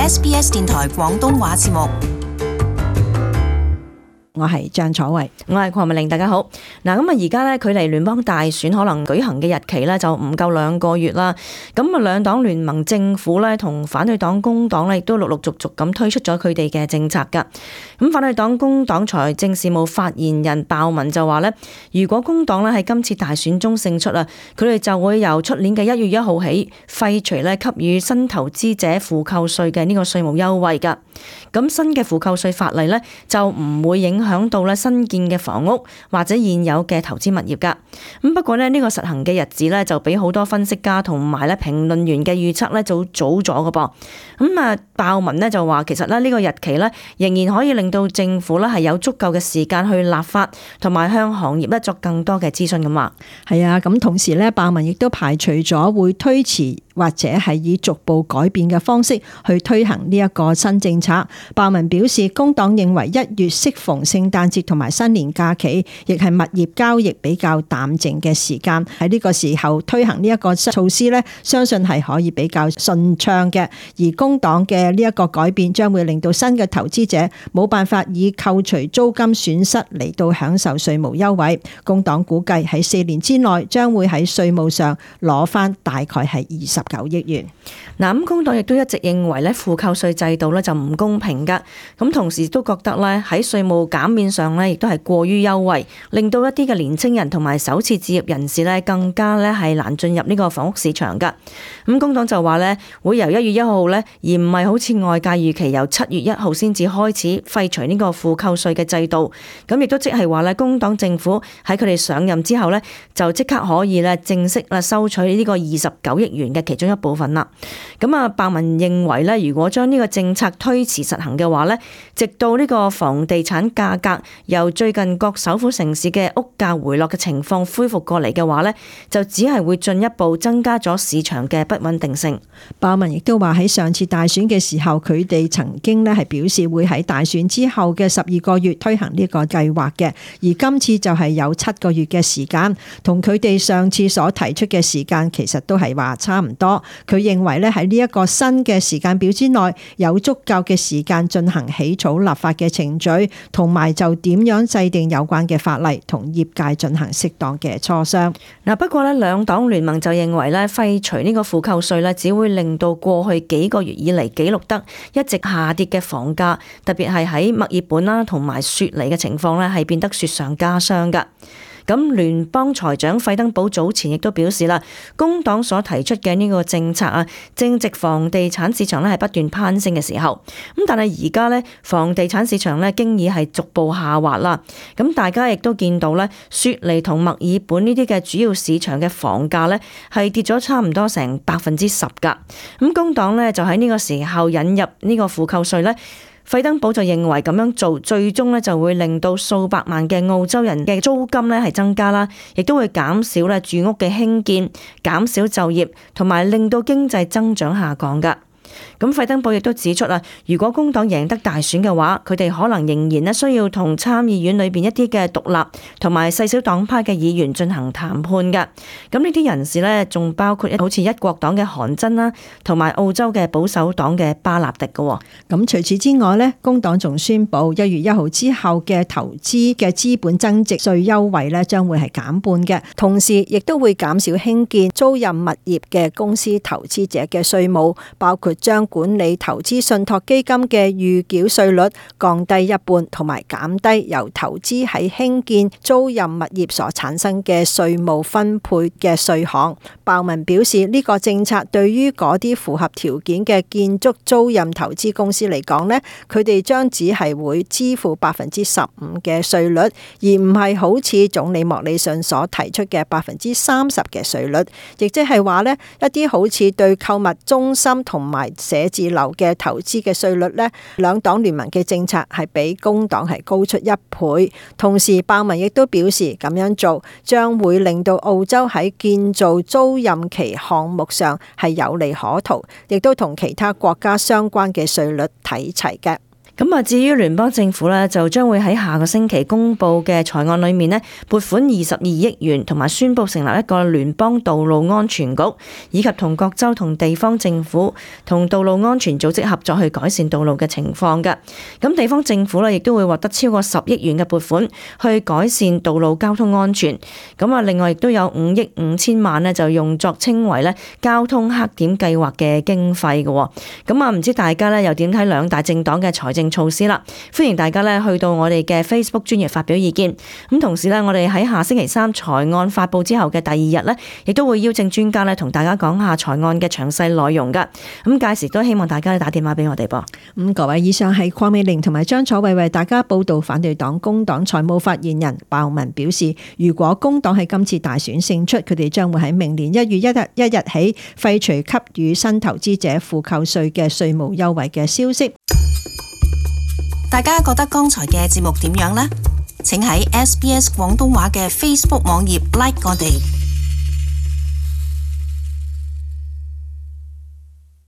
SBS 電台廣東話節目。我係張楚慧，我係鄺美玲，大家好。嗱，咁啊，而家咧距離聯邦大選可能舉行嘅日期咧就唔夠2個月啦。咁啊，兩黨聯盟政府咧同反對黨工黨咧亦都陸陸續續咁推出咗佢哋嘅政策噶。咁反對黨工黨財政事務發言人鮑文就話咧，如果工黨咧喺今次大選中勝出啊，佢哋就會由出年嘅1月1號起廢除咧給予新投資者負扣稅嘅呢個稅務優惠噶。咁新嘅負扣稅法例咧就唔會影響到咧新建嘅房屋或者現有嘅投資物業噶。咁不過咧呢個實行嘅日子咧就比好多分析家同埋咧評論員嘅預測咧就早咗噶噃。咁啊鮑文咧就話其實咧呢個日期咧仍然可以令到政府咧係有足夠嘅時間去立法同埋向行業咧作更多嘅諮詢咁話。係啊，咁同時咧鮑文亦都排除咗會推遲或者係以逐步改變嘅方式去推行呢一個新政策。鮑文表示，工黨認為1月適逢聖誕節同埋新年假期，亦係物業交易比較淡靜嘅時間，喺呢個時候推行呢一個措施咧，相信係可以比較順暢嘅。而工黨嘅呢一個改變將會令到新嘅投資者冇辦法以扣除租金損失嚟到享受稅務優惠。工黨估計喺4年之內將會喺稅務上攞翻大概係29億元。嗱，咁工黨亦都一直認為咧負扣稅制度咧就唔公平噶，咁同時都覺得咧喺稅務減免上咧亦都係過於優惠，令到一啲嘅年青人同埋首次置業人士咧更加咧係難進入呢個房屋市場噶。咁工黨就話咧會由1月1號咧，而唔係好似外界預期由7月1號先至開始廢除呢個負扣稅嘅制度。咁亦都即係話咧工黨政府喺佢哋上任之後咧就即刻可以咧正式啦收取呢個29億元嘅其中一部分啦。咁啊，鮑文認為咧，如果將呢個政策推遲實行嘅話咧，直到呢個房地產價格由最近各首府城市嘅屋價回落嘅情況恢復過嚟嘅話咧，就只係會進一步增加咗市場嘅不穩定性。鮑文亦都話喺上次大選嘅時候，佢哋曾經咧係表示會喺大選之後嘅12個月推行呢個計劃嘅，而今次就係有7個月嘅時間，同佢哋上次所提出嘅時間其實都係話差唔多。佢認為咧喺呢一個新嘅時間表之內，有足夠嘅時間進行起草立法嘅程序，同埋就點樣制定有關嘅法例，同業界進行適當嘅磋商。嗱，不過咧兩黨聯盟就認為咧廢除呢個負扣稅咧，只會令到過去幾個月以嚟記錄得一直下跌嘅房價，特別係喺墨爾本啦同埋雪梨嘅情況咧，係變得雪上加霜噶。咁聯邦財長費登堡早前亦都表示啦，工黨所提出嘅呢個政策啊，正值房地產市場咧係不斷攀升嘅時候。咁但係而家咧房地產市場咧經已係逐步下滑啦。咁大家亦都見到咧，雪梨同墨爾本呢啲嘅主要市場嘅房價咧係跌咗差唔多成10%噶。咁工黨咧就喺呢個時候引入呢個負扣稅咧。費登堡就認為咁樣做最終咧就會令到數百萬嘅澳洲人嘅租金咧係增加啦，亦都會減少咧住屋嘅興建，減少就業，同埋令到經濟增長下降噶。咁費登堡亦都指出啦，如果工黨贏得大選嘅話，佢哋可能仍然咧需要同參議院裏邊一啲嘅獨立同埋細小黨派嘅議員進行談判㗎。咁呢啲人士咧，仲包括好似一國黨嘅韓真啦，同埋澳洲嘅保守黨嘅巴納迪嘅。咁除此之外咧，工黨仲宣布1月1號之後嘅投資嘅資本增值稅優惠咧，將會係減半嘅，同時亦都會減少興建租賃物業嘅公司投資者嘅稅務，包括將管理投資信託基金嘅預繳稅率降低一半，同埋減低由投資喺興建租賃物業所產生嘅稅務分配嘅稅項。鮑文表示，呢個政策對於嗰啲符合條件嘅建築租賃投資公司嚟講呢，佢哋將只係會支付15%嘅稅率，而唔係好似總理莫里遜所提出嘅30%嘅稅率。亦即係話呢，一啲好似對購物中心同埋寫字樓嘅投資嘅稅率呢，兩黨聯盟嘅政策係比工黨係高出1倍。同時鮑文亦都表示，咁樣做將會令到澳洲喺建造租賃期項目上係有利可圖，亦都同其他國家相關嘅稅率睇齊嘅。咁啊，至於聯邦政府呢，就將會喺下個星期公布嘅財案裏面呢，撥款22億元，同埋宣布成立一個聯邦道路安全局，以及同各州同地方政府同道路安全組織合作去改善道路嘅情況嘅。咁地方政府呢，亦都會獲得超過10億元嘅撥款去改善道路交通安全。咁啊，另外亦都有5億5千萬呢，就用作稱為呢交通黑點計劃嘅經費嘅。咁啊，唔知大家呢又點睇兩大政黨嘅財政措施啦？歡迎大家呢去到我哋嘅 Facebook 專頁發表意見。咁同時呢，我哋喺下星期3財案發布之後嘅第2日呢，亦都會邀請專家呢同大家講下財案嘅詳細內容噶。咁屆時都希望大家打電話俾我哋噃。各位，以上係鄺美玲同埋張楚慧為大家報道。反對黨工黨財務發言人鮑文表示，如果工黨喺今次大選勝出，佢哋將會喺明年1月1日起廢除給予新投資者負扣稅嘅稅務優惠嘅消息。大家覺得剛才嘅節目點樣呢？請喺SBS 廣東話嘅 Facebook 網頁 like 我哋。